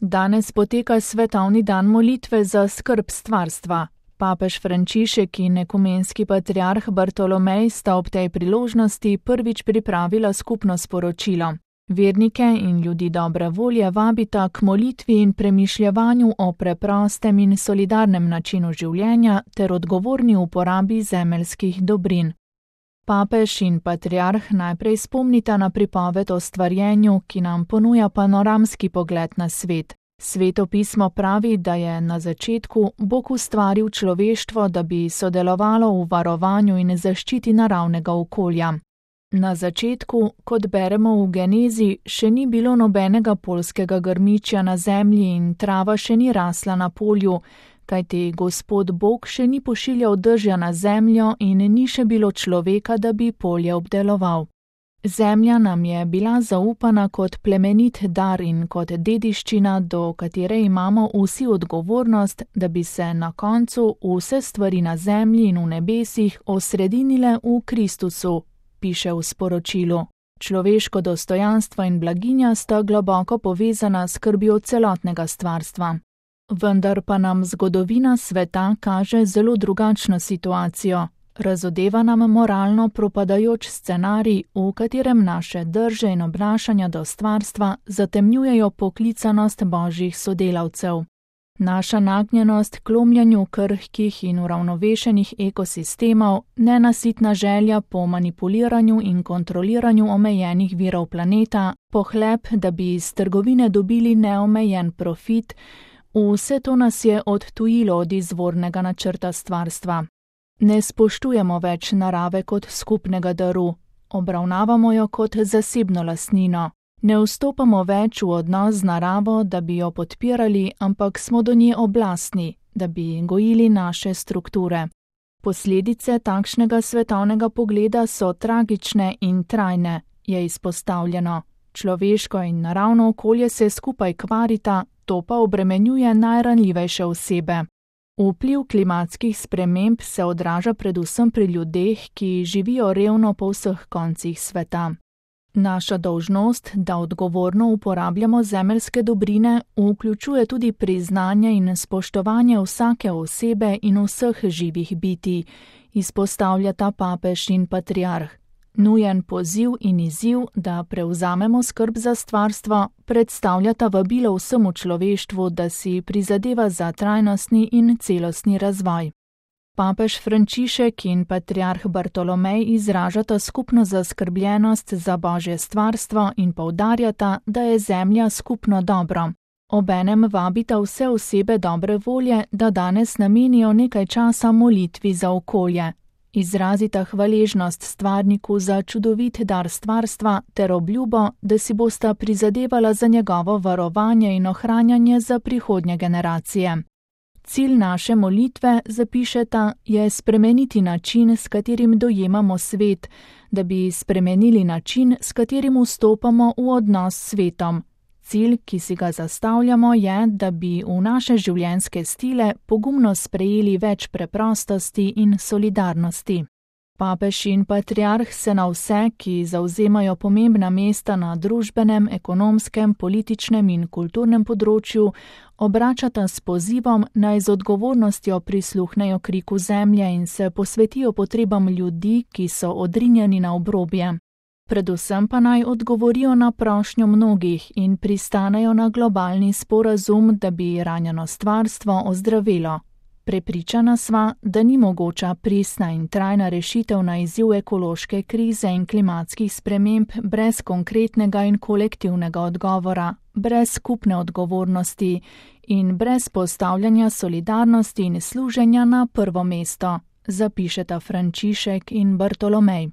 Danes poteka svetovni dan molitve za skrb stvarstva. Papež Frančišek in ekumenski patriarh Bartolomej sta ob tej priložnosti prvič pripravila skupno sporočilo. Vernike in ljudi dobre volje vabita k molitvi in premišljevanju o preprostem in solidarnem načinu življenja ter odgovorni uporabi zemeljskih dobrin. Papež in patriarh najprej spomnita na pripoved o stvarjenju, ki nam ponuja panoramski pogled na svet. Sveto pismo pravi, da je na začetku Bog ustvaril človeštvo, da bi sodelovalo v varovanju in zaščiti naravnega okolja. Na začetku, kot beremo v Genezi, še ni bilo nobenega poljskega grmičja na zemlji in trava še ni rasla na polju, kajti Gospod Bog še ni pošiljal dežja na zemljo in ni še bilo človeka, da bi polje obdeloval. Zemlja nam je bila zaupana kot plemenit dar in kot dediščina, do katere imamo vsi odgovornost, da bi se na koncu vse stvari na zemlji in v nebesih osredinile v Kristusu, piše v sporočilu. Človeško dostojanstvo in blaginja sta globoko povezana s skrbjo celotnega stvarstva. Vendar pa nam zgodovina sveta kaže zelo drugačno situacijo. Razodeva nam moralno propadajoč scenarij, v katerem naše drže in obnašanja do stvarstva zatemnjujejo poklicanost božjih sodelavcev. Naša nagnjenost k lomljenju krhkih in uravnovešenih ekosistemov, nenasitna želja po manipuliranju in kontroliranju omejenih virov planeta, pohleb, da bi iz trgovine dobili neomejen profit, vse to nas je odtujilo od izvornega načrta stvarstva. Ne spoštujemo več narave kot skupnega daru, obravnavamo jo kot zasebno lastnino. Ne vstopamo več v odnos z naravo, da bi jo podpirali, ampak smo do nje oblastni, da bi gojili naše strukture. Posledice takšnega svetovnega pogleda so tragične in trajne, je izpostavljeno. Človeško in naravno okolje se skupaj kvarita, to pa obremenjuje najranljivejše osebe. Vpliv klimatskih sprememb se odraža predvsem pri ljudeh, ki živijo revno po vseh koncih sveta. Naša dolžnost, da odgovorno uporabljamo zemeljske dobrine, vključuje tudi priznanje in spoštovanje vsake osebe in vseh živih bitij, izpostavljata papež in patriarh. Nujen poziv in izziv, da prevzamemo skrb za stvarstvo, predstavljata vabilo vsemu človeštvu, da si prizadeva za trajnostni in celostni razvoj. Papež Frančišek in patriarh Bartolomej izražata skupno zaskrbljenost za božje stvarstvo in poudarjata, da je zemlja skupno dobro. Obenem vabita vse osebe dobre volje, da danes namenijo nekaj časa molitvi za okolje. Izrazita hvaležnost stvarniku za čudovit dar stvarstva ter obljubo, da si bosta prizadevala za njegovo varovanje in ohranjanje za prihodnje generacije. Cilj naše molitve, zapišeta, je spremeniti način, s katerim dojemamo svet, da bi spremenili način, s katerim vstopamo v odnos s svetom. Cilj, ki si ga zastavljamo, je, da bi v naše življenjske stile pogumno sprejeli več preprostosti in solidarnosti. Papež in patriarh se na vse, ki zavzemajo pomembna mesta na družbenem, ekonomskem, političnem in kulturnem področju, obračata s pozivom, naj z odgovornostjo prisluhnejo kriku zemlje in se posvetijo potrebam ljudi, ki so odrinjeni na obrobje. Predvsem pa naj odgovorijo na prošnjo mnogih in pristanejo na globalni sporazum, da bi ranjeno stvarstvo ozdravilo. Prepričana sva, da ni mogoča pristna in trajna rešitev na izziv ekološke krize in klimatskih sprememb brez konkretnega in kolektivnega odgovora, brez skupne odgovornosti in brez postavljanja solidarnosti in služenja na prvo mesto, zapišeta Frančišek in Bartolomej.